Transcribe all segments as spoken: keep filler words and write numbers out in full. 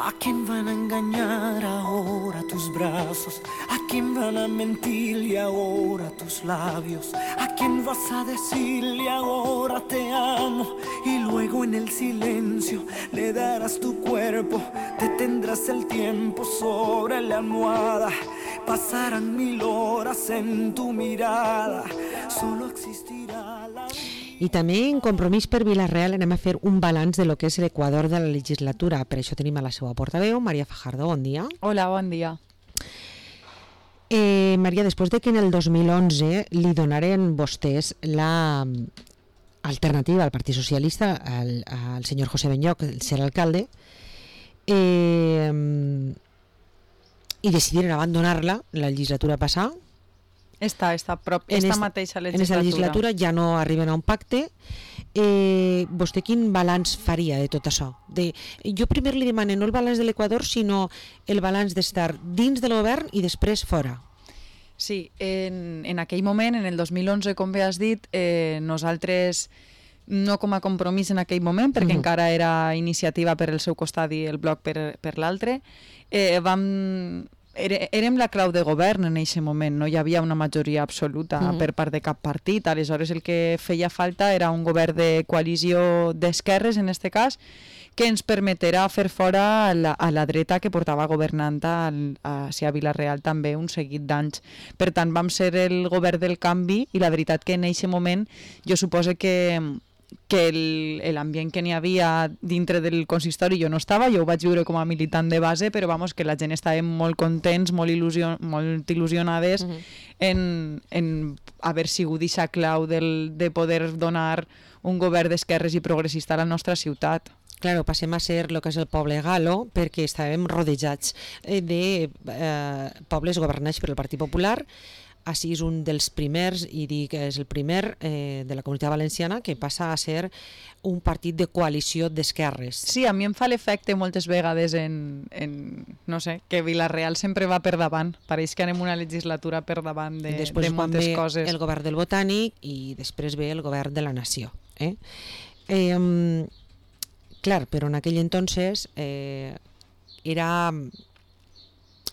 ¿A quién van a engañar ahora tus brazos? ¿A quién van a mentirle ahora tus labios? ¿A quién vas a decirle ahora te amo? Y luego en el silencio le darás tu cuerpo, detendrás el tiempo sobre la almohada. Pasarán mil horas en tu mirada, solo existirá la... I també en Compromís per Vila-real anem a fer un balanç de lo que és l'Equador de la legislatura. Per això tenim a la seva portaveu, Maria Fajardo, bon dia. Hola, bon dia. Eh, Maria, després de que en el dos mil onze li donaren vostès la alternativa al Partit Socialista, al, al senyor José Benyoc, el ser alcalde, eh, i decidiren abandonar-la la legislatura passada, Esta, esta, prop, esta esta, mateixa legislatura. En aquesta legislatura ja no arriben a un pacte. Eh, vostè quin balanç faria de tot això? De, jo primer li demano no el balanç de l'Equador, sinó el balanç d'estar dins del govern i després fora. Sí, en, en aquell moment, en el dos mil onze, com bé has dit, eh, nosaltres, no com a compromís en aquell moment, perquè uh-huh. encara era iniciativa per el seu costat i el bloc per, per l'altre, eh, vam... Érem la clau de govern en aquest moment, no hi havia una majoria absoluta uh-huh. per part de cap partit, aleshores el que feia falta era un govern de coalició d'esquerres, en aquest cas, que ens permeterà fer fora a la, a la dreta que portava governant a, a, a Vila-real també un seguit d'anys. Per tant, vam ser el govern del canvi i la veritat que en aquest moment jo suposo que que l'ambient que n'hi havia dintre del consistori jo no estava, jo ho vaig viure com a militant de base, però vamos, que la gent estava molt contents, molt, il·lusion, molt il·lusionades uh-huh. en, en haver sigut aquesta clau del, de poder donar un govern d'esquerres i progressista a la nostra ciutat. Claro, passem a ser el que és el poble galo, perquè estàvem rodejats de eh, pobles governats per el Partit Popular. Així és un dels primers, i dic que és el primer eh, de la Comunitat Valenciana que passa a ser un partit de coalició d'esquerres. Sí, a mi em fa l'efecte moltes vegades en, en no sé, que Vila-real sempre va per davant. Pareix que anem una legislatura per davant de, de moltes coses. Després ve el govern del Botànic i després ve el govern de la Nació. Eh? Eh, clar, però en aquell entonces eh, era...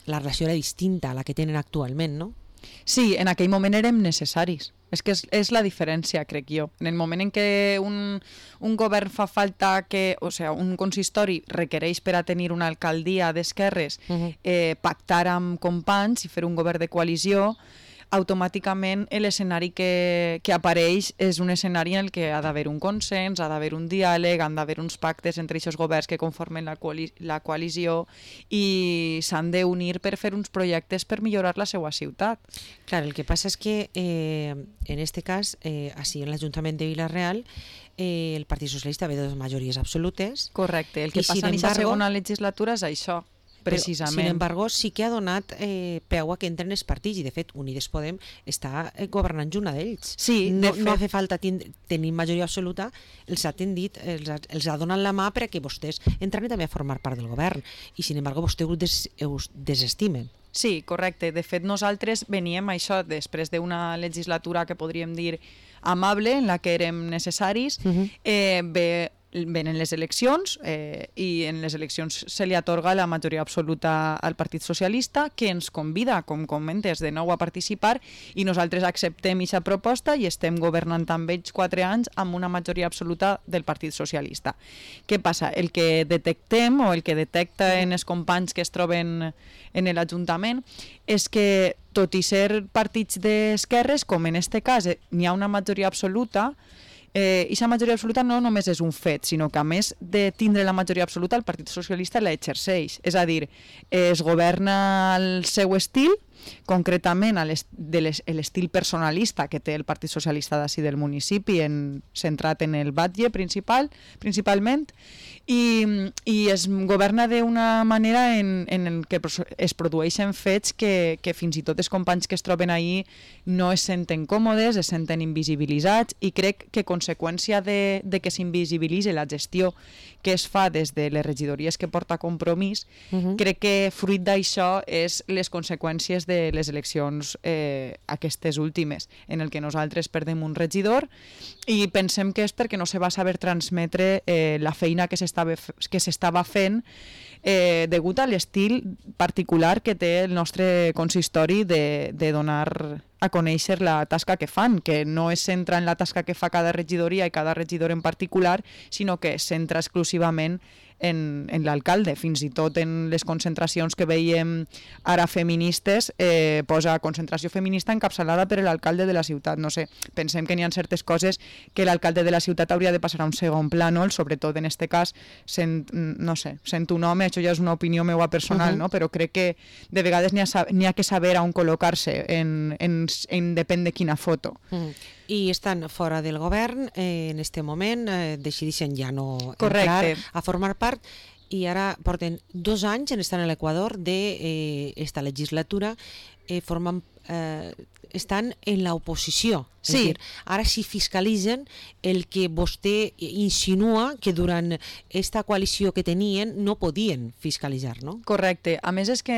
la relació era distinta a la que tenen actualment, no? Sí, en aquell moment érem necessaris. És que és, és la diferència, crec jo. En el moment en què un, un govern fa falta que, o sigui, un consistori requereix per a tenir una alcaldia d'esquerres uh-huh. eh, pactar amb companys i fer un govern de coalició, automàticament l'escenari que, que apareix és un escenari en el que ha d'haver un consens, ha d'haver un diàleg, han d'haver uns pactes entre aquests governs que conformen la, coali la coalició i s'han d'unir per fer uns projectes per millorar la seva ciutat. Clar, el que passa és que eh, en este cas, eh, així en l'Ajuntament de Vila-real, eh, el Partit Socialista ve de dues majories absolutes. Correcte, el que I, passa en aquesta segona legislatura és això. Precisament. Però, sin embargo, sí que ha donat eh, peu a que entren els partits i, de fet, Unides Podem està eh, governant una d'ells. Sí, no, de fet... no ha fet falta tenir majoria absoluta, els ha tendit, els ha, els ha donat la mà perquè vostès entran també a formar part del govern i, sin embargo, vostès ho des, us desestimen. Sí, correcte. De fet, nosaltres veníem a això després d'una legislatura que podríem dir amable, en la que érem necessaris, uh-huh. eh, bé, venen les eleccions eh, i en les eleccions se li atorga la majoria absoluta al Partit Socialista, que ens convida, com comentes, de nou a participar i nosaltres acceptem aquesta proposta i estem governant amb ells quatre anys amb una majoria absoluta del Partit Socialista. Què passa? El que detectem o el que detecta en els companys que es troben en l'Ajuntament és que, tot i ser partits d'esquerres, com en aquest cas n'hi ha una majoria absoluta, Eh, i la majoria absoluta no només és un fet, sinó que a més de tindre la majoria absoluta, el Partit Socialista la exerceix. És a dir, es governa el seu estil, concretament l'estil personalista que té el Partit Socialista d'ací del municipi, en, centrat en el batlle principal, principalment, i, i es governa d'una manera en, en el que es produeixen fets que, que fins i tot els companys que es troben ahí no es senten còmodes, es senten invisibilitzats, i crec que conseqüència de, de que s'invisibilitzi la gestió que es fa des de les regidories que porta Compromís, uh-huh. crec que fruit d'això és les conseqüències després de les eleccions eh, aquestes últimes, en el que nosaltres perdem un regidor i pensem que és perquè no se va saber transmetre eh, la feina que s'estava que s'estava fent eh, degut a l'estil particular que té el nostre consistori de, de donar a conèixer la tasca que fan, que no es centra en la tasca que fa cada regidoria i cada regidor en particular, sinó que es centra exclusivament en, en l'alcalde. Fins i tot en les concentracions que veiem ara feministes, eh, posa concentració feminista encapçalada per l'alcalde de la ciutat. No sé, pensem que n'hi ha certes coses que l'alcalde de la ciutat hauria de passar a un segon plànol, sobretot en este cas, sent, no sé, sent un home, això ja és una opinió meva personal, uh-huh. no? Però crec que de vegades n'hi ha, n'hi ha que saber on col·locar-se, en, en, en depèn de quina foto. Uh-huh. I estan fora del govern, eh, en este moment eh, decideixen ja no Correcte. entrar a formar part, i ara porten dos anys en estar a l'Equador d'esta eh, legislatura, eh, formen, eh, estan en l'oposició. Sí. És dir, ara sí fiscalitzen el que vostè insinua que durant esta coalició que tenien no podien fiscalitzar, no? Correcte. A més és que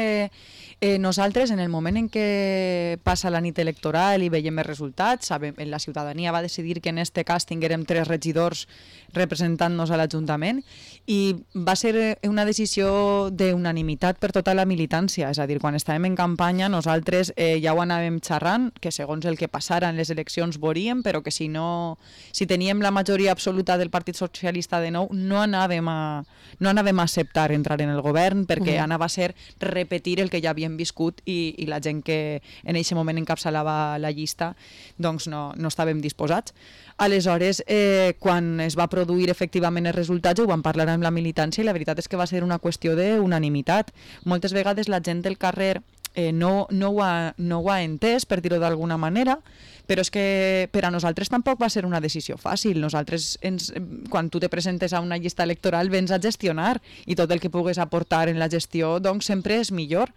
eh, nosaltres en el moment en què passa la nit electoral i veiem els resultats, sabem, la ciutadania va decidir que en este cas tinguérem tres regidors representant-nos a l'Ajuntament i va ser una decisió d'unanimitat per tota la militància, és a dir, quan estàvem en campanya nosaltres eh, ja ho anàvem xerrant, que segons el que passara en les eleccions veuríem, però que si no si teníem la majoria absoluta del Partit Socialista de nou, no anàvem a, no anàvem a acceptar entrar en el govern perquè uh-huh. anava a ser repetir el que ja havíem viscut i, i la gent que en aquest moment encapçalava la llista doncs no, no estàvem disposats. Aleshores, eh, quan es va produir efectivament els resultats, ho vam parlar amb la militància i la veritat és que va ser una qüestió d'unanimitat. Moltes vegades la gent del carrer eh, no, no, ho ha, no ho ha entès, per dir-ho d'alguna manera, però és que per a nosaltres tampoc va ser una decisió fàcil. Nosaltres, ens, quan tu te presentes a una llista electoral, vens a gestionar i tot el que pugues aportar en la gestió doncs sempre és millor.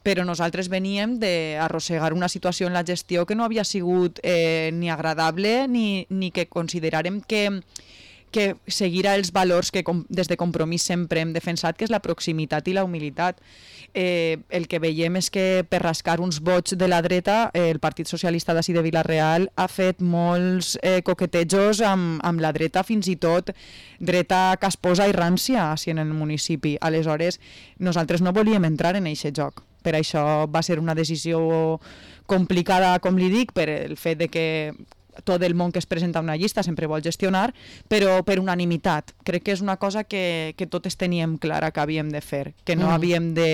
Però nosaltres veníem d'arrossegar una situació en la gestió que no havia sigut eh, ni agradable ni, ni que consideràrem que que seguirà els valors que com, des de Compromís sempre hem defensat, que és la proximitat i la humilitat. Eh, el que veiem és que per rascar uns vots de la dreta, eh, el Partit Socialista d'ací de Vila-real ha fet molts eh, coquetejos amb, amb la dreta, fins i tot dreta casposa i rància així en el municipi. Aleshores, nosaltres no volíem entrar en aquest joc. Per això va ser una decisió complicada, com li dic, per el fet de que tot el món que es presenta a una llista sempre vol gestionar, però per unanimitat. Crec que és una cosa que, que totes teníem clara que havíem de fer, que no, mm. havíem de,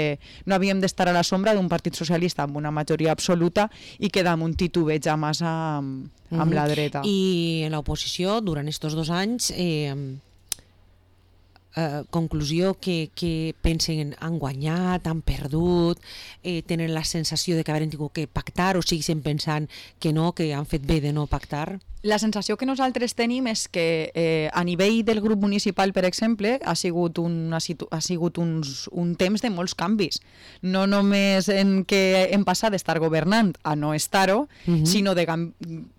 no havíem d'estar a la sombra d'un partit socialista amb una majoria absoluta i que damunt titubeja massa amb, amb mm-hmm. la dreta. I en l'oposició, durant aquests dos anys, eh, eh, conclusió que, que pensen han guanyat, han perdut, eh, tenen la sensació de que haurem tingut que pactar o segueixen pensant que no, que han fet bé de no pactar? La sensació que nosaltres tenim és que eh, a nivell del grup municipal, per exemple, ha sigut, un, ha sigut, ha sigut uns, un temps de molts canvis. No només en què hem passat d'estar governant a no estar-ho, uh-huh. sinó de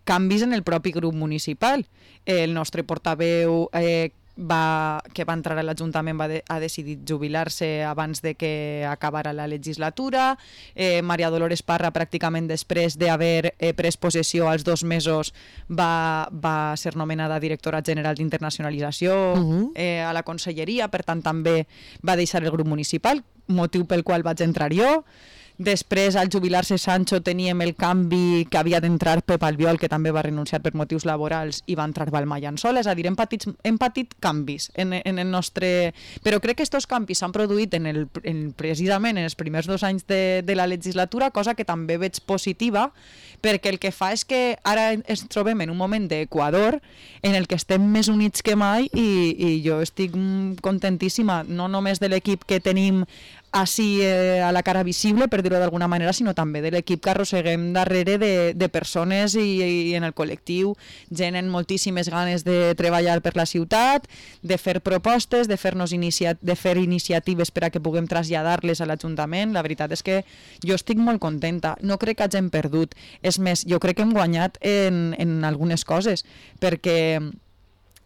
canvis en el propi grup municipal. El nostre portaveu eh, Va, que va entrar a l'Ajuntament va de, ha decidit jubilar-se abans de que acabara la legislatura. eh, Maria Dolores Parra, pràcticament després d'haver eh, pres possessió als dos mesos, va, va ser nomenada directora general d'internacionalització uh-huh. eh, a la conselleria, per tant també va deixar el grup municipal, motiu pel qual vaig entrar jo. Després, al jubilar-se Sancho, teníem el canvi que havia d'entrar Pep Albiol, que també va renunciar per motius laborals, i va entrar Balma Llençol. És a dir, hem patit, hem patit canvis en, en el nostre... Però crec que aquests canvis s'han produït en el, en, precisament en els primers dos anys de, de la legislatura, cosa que també veig positiva, perquè el que fa és que ara ens trobem en un moment d'Equador en el que estem més units que mai i, i jo estic contentíssima, no només de l'equip que tenim així eh, a la cara visible, per dir-ho d'alguna manera, sinó també de l'equip que arrosseguem darrere de, de persones i, i en el col·lectiu, gent amb moltíssimes ganes de treballar per la ciutat, de fer propostes, de fer-nos inicia- de fer iniciatives per a que puguem traslladar-les a l'Ajuntament. La veritat és que jo estic molt contenta. No crec que hagin perdut. És més, jo crec que hem guanyat en, en algunes coses, perquè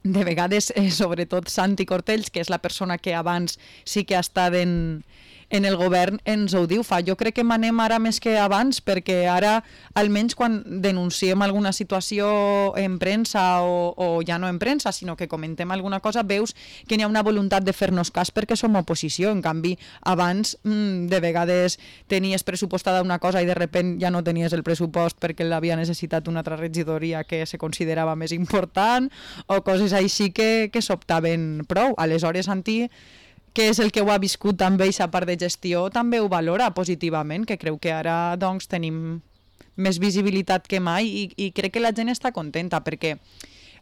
de vegades, eh, sobretot Santi Cortells, que és la persona que abans sí que ha estat en en el govern ens ho diu fa. Jo crec que manem ara més que abans, perquè ara, almenys quan denunciem alguna situació en premsa o, o ja no en premsa, sinó que comentem alguna cosa, veus que n'hi ha una voluntat de fer-nos cas perquè som oposició. En canvi, abans mmm, de vegades tenies pressupostada una cosa i de repent ja no tenies el pressupost perquè l'havia necessitat una altra regidoria que se considerava més important, o coses així que, que s'optaven prou. Aleshores, Santi, que és el que ho ha viscut també aquesta part de gestió, també ho valora positivament, que creu que ara doncs, tenim més visibilitat que mai i, i crec que la gent està contenta, perquè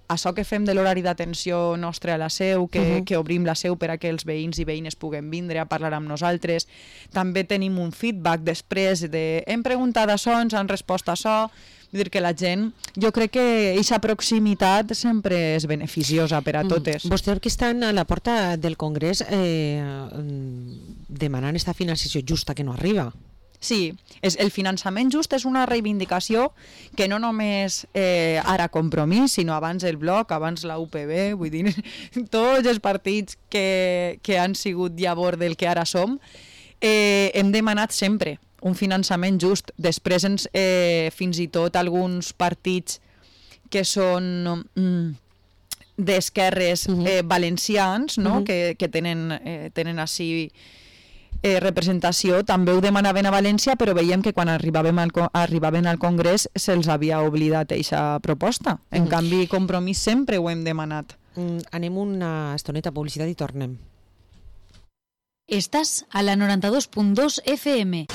això que fem de l'horari d'atenció nostre a la seu, que, uh-huh. que obrim la seu per a que els veïns i veïnes puguen vindre a parlar amb nosaltres, també tenim un feedback després de hem preguntat això, ens han respost això. Vull dir que la gent, jo crec que aquesta proximitat sempre és beneficiosa per a totes. Mm. Vostès que estan a la porta del Congrés eh, demanant aquesta financiació justa que no arriba. Sí, és, el finançament just és una reivindicació que no només eh, ara Compromís, sinó abans el Bloc, abans la U P B, vull dir, tots els partits que, que han sigut llavors del que ara som, eh, hem demanat sempre un finançament just. Després ens, eh, fins i tot alguns partits que són mm, d'esquerres uh-huh. eh, valencians, no? uh-huh. que, que tenen, eh, tenen així eh, representació, també ho demanaven a València, però veiem que quan arribaven al, arribaven al Congrés se'ls havia oblidat aquesta proposta. En uh-huh. canvi, Compromís sempre ho hem demanat. Mm, anem una estoneta a publicitat i tornem. Estás a la noranta-dos punt dos F M.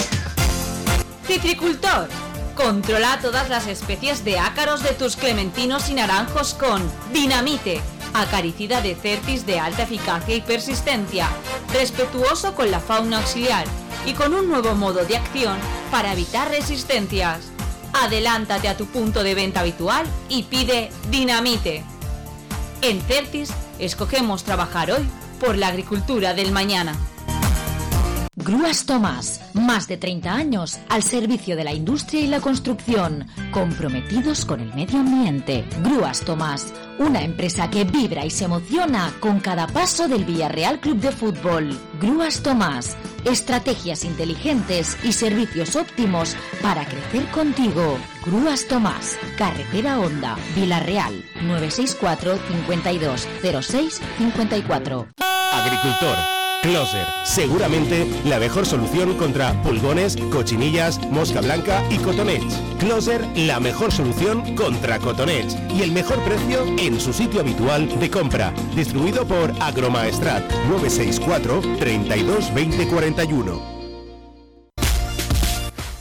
Citricultor. Controla todas las especies de ácaros de tus clementinos y naranjos con Dinamite, acaricida de Certis de alta eficacia y persistencia, respetuoso con la fauna auxiliar y con un nuevo modo de acción para evitar resistencias. Adelántate a tu punto de venta habitual y pide Dinamite. En Certis escogemos trabajar hoy por la agricultura del mañana. Grúas Tomás, más de treinta años al servicio de la industria y la construcción, comprometidos con el medio ambiente. Grúas Tomás, una empresa que vibra y se emociona con cada paso del Villarreal Club de Fútbol. Grúas Tomás, estrategias inteligentes y servicios óptimos para crecer contigo. Grúas Tomás, Carretera Honda, Villarreal, nueve seis cuatro, cincuenta y dos, cero seis, cincuenta y cuatro. Agricultor. Closer, seguramente la mejor solución contra pulgones, cochinillas, mosca blanca y cotonets. Closer, la mejor solución contra cotonets y el mejor precio en su sitio habitual de compra. Distribuido por Agromaestrat, nueve seis cuatro, treinta y dos, veinte, cuarenta y uno.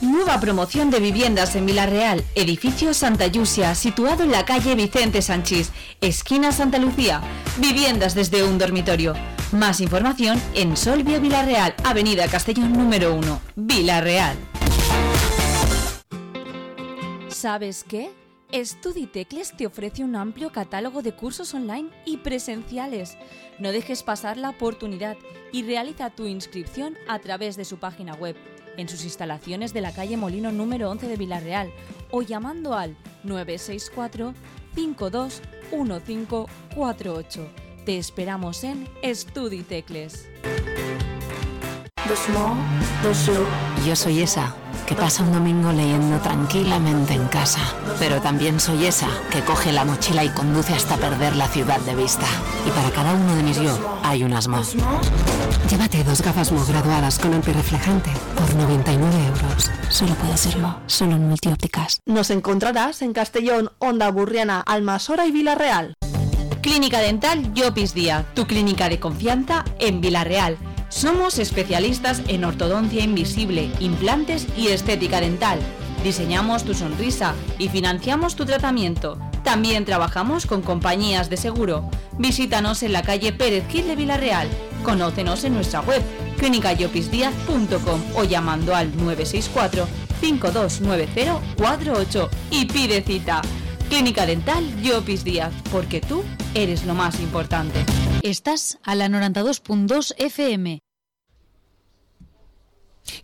Nueva promoción de viviendas en Villarreal, edificio Santa Yusia, situado en la calle Vicente Sanchís, esquina Santa Lucía. Viviendas desde un dormitorio. Más información en Solvia Villarreal, Avenida Castellón número uno, Villarreal. ¿Sabes qué? Estuditecles te ofrece un amplio catálogo de cursos online y presenciales. No dejes pasar la oportunidad y realiza tu inscripción a través de su página web, en sus instalaciones de la calle Molino número once de Villarreal o llamando al nueve seis cuatro, cinco dos uno cinco cuatro ocho. Te esperamos en Estuditecles. Yo soy esa que pasa un domingo leyendo tranquilamente en casa, pero también soy esa que coge la mochila y conduce hasta perder la ciudad de vista. Y para cada uno de mis yo hay unas Mo. Llévate dos gafas Mo graduadas con antirreflejante por noventa y nueve euros. Solo puede ser Mo, solo en Multiópticas. Nos encontrarás en Castellón, Honda Burriana, Almasora y Villarreal. Clínica Dental Llopis Díaz, tu clínica de confianza en Villarreal. Somos especialistas en ortodoncia invisible, implantes y estética dental. Diseñamos tu sonrisa y financiamos tu tratamiento. También trabajamos con compañías de seguro. Visítanos en la calle Pérez Gil de Villarreal. Conócenos en nuestra web clínica llopis díaz punto com o llamando al nueve seis cuatro, cinco dos nueve cero, cuatro ocho y pide cita. Clínica Dental Llopis Díaz, porque tú eres lo más importante. Estás a la noranta-dos punt dos F M.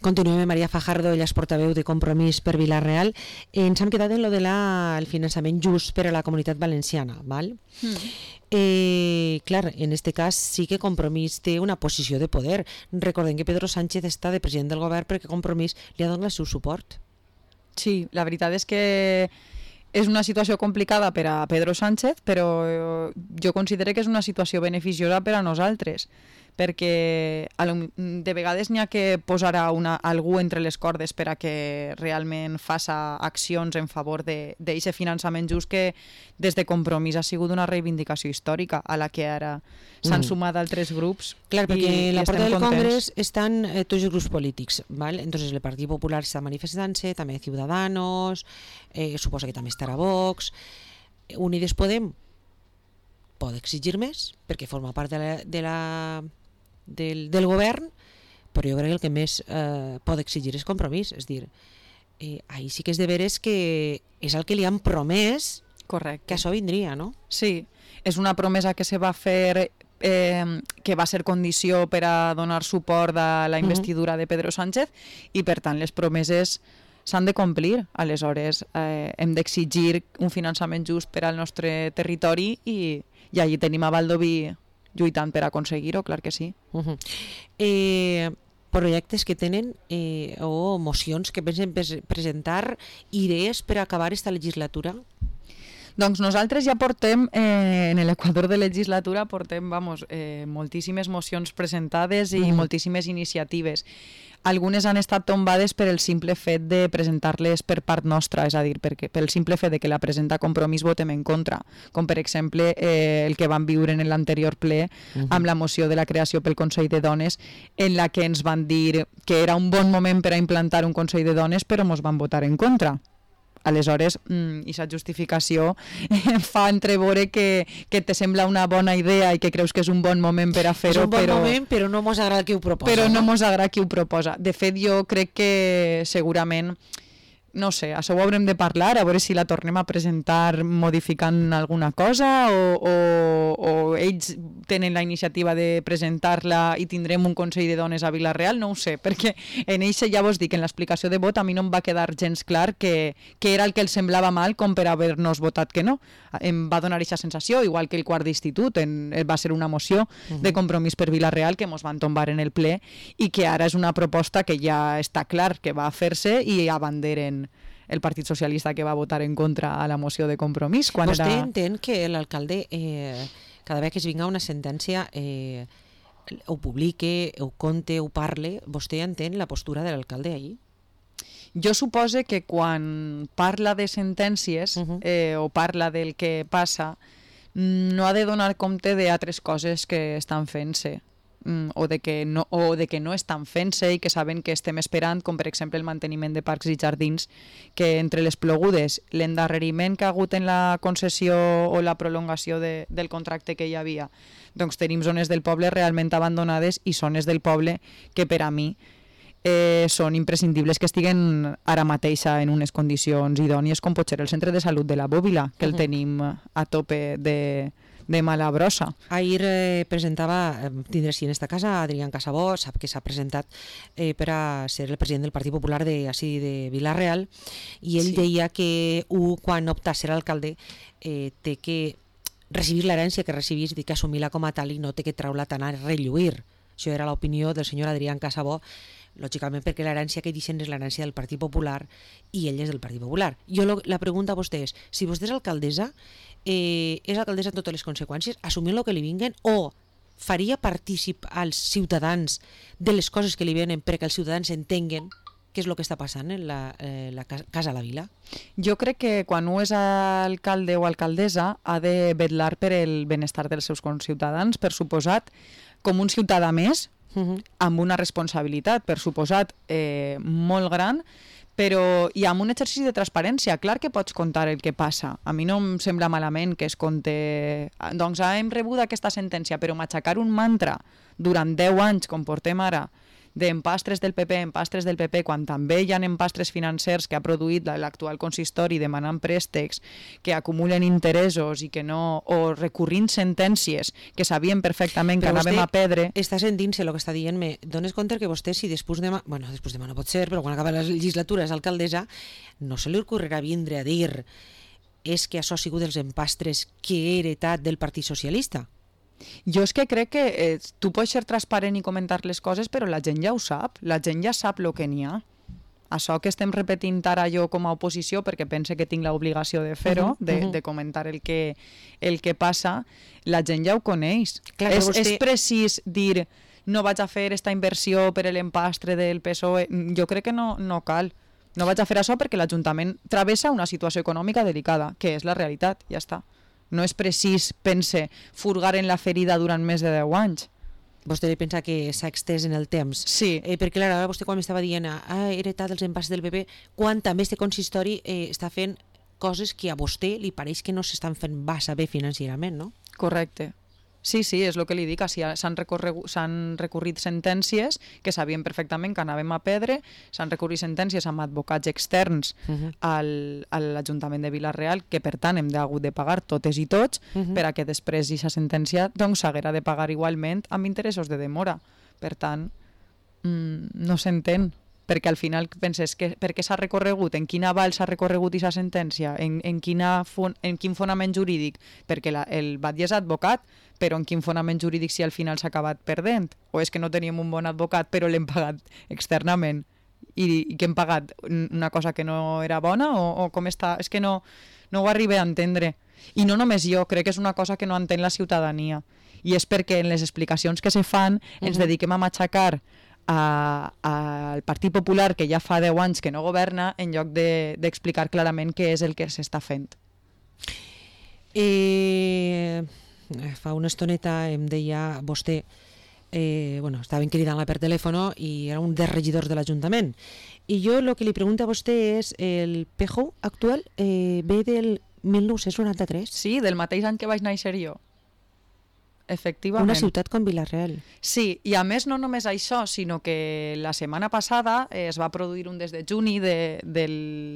Continuem amb Maria Fajardo, ella és portaveu de Compromís per Vila-real. Ens hem quedat en lo de la, el finançament just per a la comunitat valenciana, val? Mm. Eh, clar, en este cas sí que Compromís té una posició de poder. Recordem que Pedro Sánchez està de president del govern perquè Compromís li ha donat el seu suport. Sí, la veritat és que és una situació complicada per a Pedro Sánchez, però jo considero que és una situació beneficiosa per a nosaltres, perquè de vegades n'hi ha que posar a una, algú entre les cordes per a que realment faça accions en favor d'aquest finançament just que des de Compromís ha sigut una reivindicació històrica a la que ara s'han mm. sumat altres grups. Clar, perquè i, la porta del Congrés estan eh, tots els grups polítics, ¿vale? Entonces el Partit Popular està manifestant-se, també Ciudadanos, eh, suposa que també estarà Vox, Unides Podem pot exigir més perquè forma part de la, de la Del, del govern, però jo crec que el que més eh, pot exigir és Compromís, és dir, eh, ahí sí que és de veres que és el que li han promès. Correcte. Que això vindria, no? Sí, és una promesa que se va fer, eh, que va ser condició per a donar suport a la investidura uh-huh. de Pedro Sánchez, i per tant les promeses s'han de complir. Aleshores eh, hem d'exigir un finançament just per al nostre territori i, i allí tenim a Valdoví lluitant per aconseguir-ho, clar que sí. Uh-huh. Eh, projectes que tenen eh, o mocions que pensen presentar, idees per acabar esta legislatura? Doncs nosaltres ja portem, eh, en l'equador de legislatura, portem vamos, eh, moltíssimes mocions presentades i uh-huh. moltíssimes iniciatives. Algunes han estat tombades per el simple fet de presentar-les per part nostra, és a dir, perquè, pel simple fet de que la presenta Compromís votem en contra, com per exemple eh, el que vam viure en l'anterior ple uh-huh. amb la moció de la creació pel Consell de Dones, en la que ens van dir que era un bon moment per a implantar un Consell de Dones, però ens van votar en contra. Aleshores, aquesta justificació fa entreveure que, que te sembla una bona idea i que creus que és un bon moment per a fer-ho. És un bon però, moment, però no mos agrada qui ho proposa. Però no mos agrada qui ho proposa. De fet, jo crec que segurament, no sé, això ho haurem de parlar, a veure si la tornem a presentar modificant alguna cosa o, o, o ells tenen la iniciativa de presentar-la i tindrem un Consell de Dones a Vila-real, no ho sé, perquè en eixe ja vos dic, en l'explicació de vot a mi no em va quedar gens clar que, que era el que els semblava mal com per haver-nos votat que no. Em va donar aquesta sensació, igual que el quart d'institut, en, va ser una moció uh-huh. de Compromís per Vila-real que mos van tombar en el ple i que ara és una proposta que ja està clar que va a fer-se i abanderen el Partit Socialista que va votar en contra a la moció de Compromís. Quan Vostè era... entén que l'alcalde, eh, cada vegada que es vinga una sentència, eh, ho publique, ho conte, ho parle, vostè entén la postura de l'alcalde ahir? Jo supose que quan parla de sentències uh-huh. eh, o parla del que passa, no ha de donar compte d'altres coses que estan fent-se. O de, que no, o de que no estan fent-se i que saben que estem esperant, com per exemple el manteniment de parcs i jardins, que entre les plogudes, l'endarreriment que ha hagut en la concessió o la prolongació de, del contracte que hi havia, doncs tenim zones del poble realment abandonades i zones del poble que per a mi eh, són imprescindibles que estiguen ara mateixa en unes condicions idònies, com pot ser el centre de salut de la Bòbila, que el uh-huh. tenim a tope de... de mala brossa. Ahir eh, presentava, eh, tindré així en esta casa, Adrián Casabó, sap que s'ha presentat eh, per a ser el president del Partit Popular de, així, de Vila-real, i ell sí. deia que un, quan opta a ser alcalde eh, té que recibir l'herència que recibís i que assumir-la com a tal i no té que treure-la tant a relluir. Això era l'opinió del senyor Adrián Casabó, lògicament perquè l'herència que deixen és l'herència del Partit Popular i ell és del Partit Popular. Jo lo, la pregunta a vostè és, si vostè és alcaldessa, eh, és alcaldessa amb totes les conseqüències, assumint el que li vinguen, o faria partícip als ciutadans de les coses que li venen perquè els ciutadans entenguen què és el que està passant en la, eh, la Casa a la Vila? Jo crec que quan un és alcalde o alcaldessa ha de vetllar per el benestar dels seus conciutadans, per suposat, com un ciutadà més, uh-huh. amb una responsabilitat, per suposat, eh, molt gran, però i amb un exercici de transparència. Clar que pots contar el que passa. A mi no em sembla malament que es conte... Doncs hem rebut aquesta sentència, però m'aixecar un mantra durant deu anys, com portem ara, d'empastres del P P, empastres del P P, quan també hi ha empastres financers que ha produït l'actual consistori demanant préstecs que acumulen interessos i que no, o recurrint sentències que sabien perfectament que anàvem a perdre. Està sentint-se el que està dient-me. Dones compte que vostè, si després demà, bueno, després demà no pot ser, però quan acaba la legislatura és alcaldessa, no se li ocorrerà vindre a dir és que això ha sigut dels empastres que he heretat del Partit Socialista. Jo és que crec que eh, tu pots ser transparent i comentar les coses, però la gent ja ho sap, la gent ja sap el que n'hi ha. Això que estem repetint ara jo com a oposició, perquè pense que tinc l'obligació de fer-ho, uh -huh, de, uh -huh. de comentar el que, el que passa, la gent ja ho coneix. Clar, és, vostè... és precís dir no vaig a fer esta inversió per l'empastre del P S O E, jo crec que no, no cal. No vaig a fer això perquè l'Ajuntament travessa una situació econòmica delicada, que és la realitat, ja està. No és precís, pense, furgar en la ferida durant més de deu anys. Vostè pensa que s'ha extès en el temps? Sí. Eh, perquè, clar, ara vostè quan m'estava dient ha heretat els empastres del P P, quan també este consistori eh, està fent coses que a vostè li pareix que no s'estan fent massa bé financerament, no? Correcte. Sí, sí, és el que li dic, s'han recurrit sentències que sabien perfectament que anàvem a perdre, s'han recurrit sentències amb advocats externs uh -huh. al, a l'Ajuntament de Vila-real, que per tant hem d'hagut de pagar totes i tots, uh -huh. per a que després aquesta sentència doncs, s'haguera de pagar igualment amb interessos de demora. Per tant, mmm, no s'entén, perquè al final penses que per què s'ha recorregut, en quin aval s'ha recorregut aquesta sentència, en, en, quina, en quin fonament jurídic, perquè la, el batlle és advocat, però en quin fonament jurídic si al final s'ha acabat perdent, o és que no teníem un bon advocat però l'hem pagat externament i, i que hem pagat una cosa que no era bona, o, o com està, és que no, no ho arribé a entendre, i no només jo, crec que és una cosa que no entén la ciutadania, i és perquè en les explicacions que se fan ens uh-huh. dediquem a matxacar al Partit Popular, que ja fa deu anys que no governa, en lloc d'explicar de, clarament què és el que s'està fent. Eh, fa una estoneta em deia vostè, eh, bueno, estaven cridant-la per telèfon i era un dels regidors de l'Ajuntament. I jo el que li pregunto a vostè és, el P J O actual eh, ve del mil nou-cents noranta-tres? Sí, del mateix any que vaig néixer jo. Efectivament. Una ciutat com Vila-real. Sí, i a més no només això, sinó que la setmana passada eh, es va produir un des de juni de, de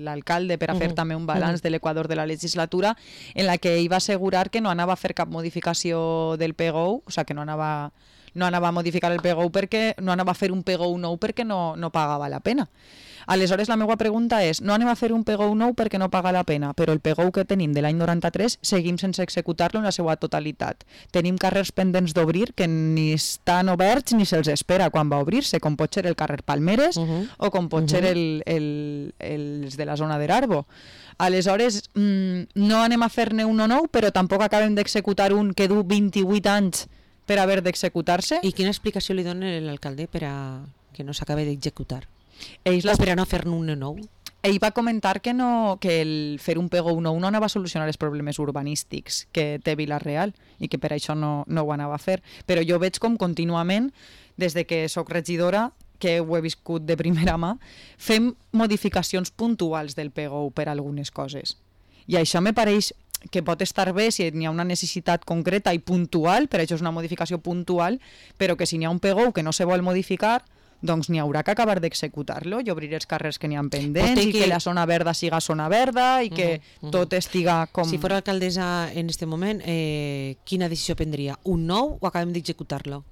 l'alcalde per a fer uh -huh. també un balanç uh -huh. de l'equador de la legislatura, en la que ell va assegurar que no anava a fer cap modificació del P G O, o sigui que no anava, no anava a modificar el P G O perquè no anava a fer un P G O nou perquè no, no pagava la pena. Aleshores, la meva pregunta és, no anem a fer un P G O nou perquè no paga la pena, però el P G O que tenim de l'any noranta-tres seguim sense executar-lo en la seva totalitat. Tenim carrers pendents d'obrir que ni estan oberts ni se'ls espera quan va obrir-se, com pot ser el carrer Palmeres uh -huh. o com pot uh -huh. ser el, el, el, els de la zona d'Erarbo. Aleshores, mmm, no anem a fer-ne un o nou, però tampoc acabem d'executar un que du vint-i-vuit anys per haver d'executar-se. I quina explicació li dona l'alcalde per a que no s'acabi d'executar? Ells o per a no fer-ne un nou? Ell va comentar que, no, que el fer un P G O nou no anava a solucionar els problemes urbanístics que té Vila-real i que per això no, no ho anava a fer. Però jo veig com contínuament, des de que sóc regidora, que ho he viscut de primera mà, fem modificacions puntuals del P G O per a algunes coses. I això me pareix que pot estar bé si n'hi ha una necessitat concreta i puntual, per això és una modificació puntual, però que si n'hi ha un P G O que no se vol modificar, doncs n'hi haurà que acabar d'executar-lo i obrir els carrers que n'hi ha pendents que... i que la zona verda siga zona verda i que uh -huh, uh -huh. tot estiga com... Si fos alcaldessa en aquest moment, eh, quina decisió prendria? Un nou o acabem d'executar-lo?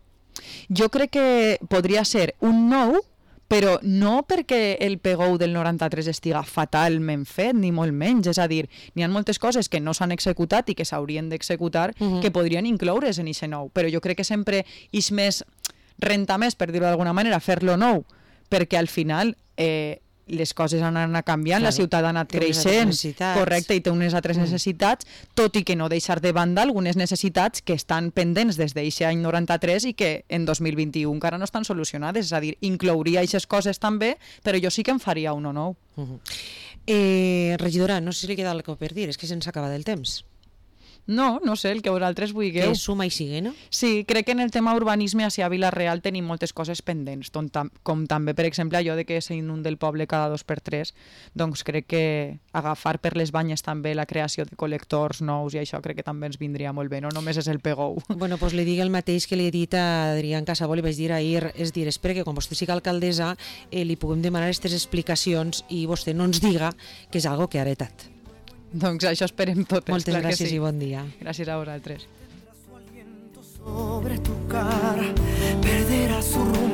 Jo crec que podria ser un nou, però no perquè el P G O del noranta-tres estiga fatalment fet, ni molt menys. És a dir, n'hi ha moltes coses que no s'han executat i que s'haurien d'executar uh -huh. que podrien incloure's en aquest nou, però jo crec que sempre és més... renta més, per dir-ho d'alguna manera, fer-lo nou, perquè al final eh, les coses han anat canviant, claro, la ciutat ha anat creixent, correcte, i té unes altres mm. necessitats, tot i que no deixar de banda algunes necessitats que estan pendents des d'aquest any noranta-tres i que en dos mil vint-i-u encara no estan solucionades, és a dir, inclouria aquestes coses també, però jo sí que em faria un o nou. Mm -hmm. eh, regidora, no sé si li queda alguna cosa per dir, és que se'ns acaba del temps. No, no sé, el que vosaltres vulgueu. Que suma i sigue, no? Sí, crec que en el tema urbanisme a Vila-real tenim moltes coses pendents, com, tam com també, per exemple, allò de que s'inunda el poble cada dos per tres, doncs crec que agafar per les banyes també la creació de col·lectors nous i això crec que també ens vindria molt bé, no només és el pegou. Bueno, doncs li dic el mateix que li he dit a Adrián Casabó, li vaig dir ahir, és dir, espera que quan vostè siga alcaldessa eh, li puguem demanar aquestes explicacions i vostè no ens diga que és algo que ha heretat. Doncs això esperem totes. Moltes clar gràcies que sí. i bon dia. Gràcies a vosaltres. Sobre tu cara perderá su rumbo.